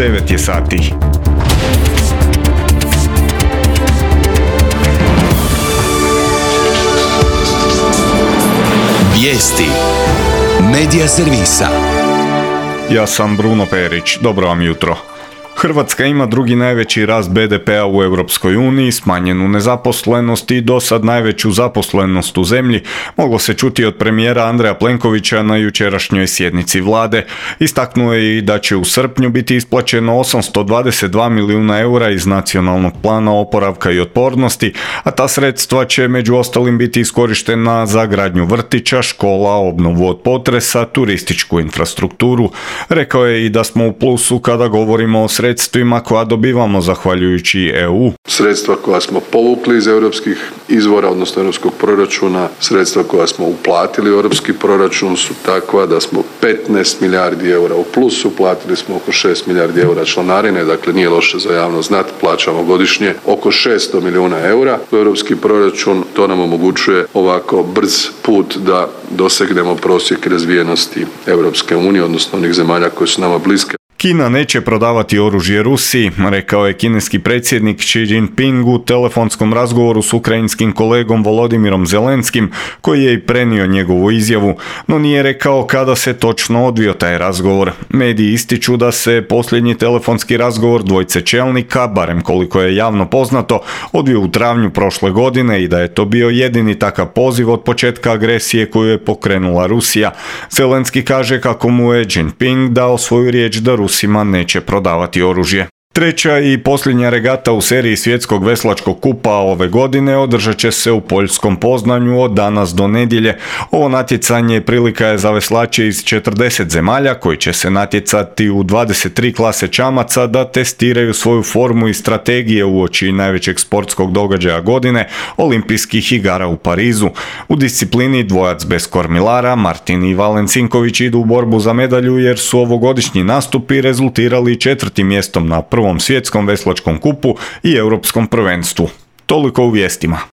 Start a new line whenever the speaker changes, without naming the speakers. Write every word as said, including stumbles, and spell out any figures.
devet je sati.
Vijesti Medija servisa.
Ja sam Bruno Perić, dobro vam jutro. Hrvatska ima drugi najveći rast be de pea u Europskoj uniji, smanjenu nezaposlenost i dosad najveću zaposlenost u zemlji, moglo se čuti od premijera Andreja Plenkovića na jučerašnjoj sjednici vlade. Istaknuo je i da će u srpnju biti isplaćeno osamsto dvadeset dva milijuna eura iz nacionalnog plana oporavka i otpornosti, a ta sredstva će među ostalim biti iskorištena za gradnju vrtića, škola, obnovu od potresa, turističku infrastrukturu. Rekao je i da smo u plusu kada govorimo o sredstvima koja dobivamo zahvaljujući e u.
Sredstva koja smo povukli iz europskih izvora, odnosno europskog proračuna, sredstva koja smo uplatili u europski proračun su takva da smo petnaest milijardi eura u plusu, platili smo oko šest milijardi eura članarine, dakle nije loše za javnost znati, plaćamo godišnje oko šesto milijuna eura u europski proračun. To nam omogućuje ovako brz put da dosegnemo prosjek razvijenosti Europske unije, odnosno onih zemalja koje su nama bliske.
Kina neće prodavati oružje Rusiji, rekao je kineski predsjednik Xi Jinping u telefonskom razgovoru s ukrajinskim kolegom Volodimirom Zelenskim, koji je i prenio njegovu izjavu, no nije rekao kada se točno odvio taj razgovor. Mediji ističu da se posljednji telefonski razgovor dvojce čelnika, barem koliko je javno poznato, odvio u travnju prošle godine i da je to bio jedini takav poziv od početka agresije koju je pokrenula Rusija. Zelenski kaže kako mu je Jinping dao svoju riječ da Rusima neće prodavati oružje. Treća i posljednja regata u seriji svjetskog veslačkog kupa ove godine održat će se u poljskom Poznanju od danas do nedjelje. Ovo natjecanje prilika je za veslače iz četrdeset zemalja koji će se natjecati u dvadeset tri klase čamaca da testiraju svoju formu i strategije uoči najvećeg sportskog događaja godine, olimpijskih igara u Parizu. U disciplini dvojac bez kormilara Martin i Valen Cinković idu u borbu za medalju jer su ovogodišnji nastupi rezultirali četvrtim mjestom na prvom svjetskom veslačkom kupu i europskom prvenstvu. Toliko u vijestima.